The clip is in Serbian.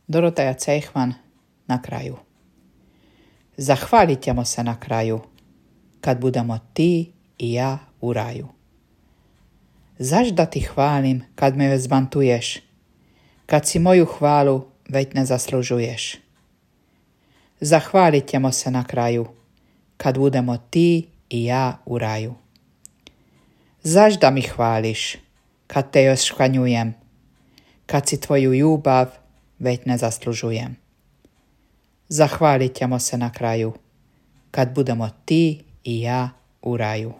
Dorotea Cejhman na kraju. Zahvalit ćemo se na kraju, kad budemo ti i ja u raju. Zaš da ti hvalim kad me zbantuješ, kad si moju hvalu već ne zaslužuješ. Zahvalit ćemo se na kraju, kad budemo ti i ja u raju. Zaš da mi hvališ, kad te još škanjujem, kad si tvoju ljubav već ne zaslužujem. Zahvalit ćemo se na kraju, kad budemo ti i ja u raju.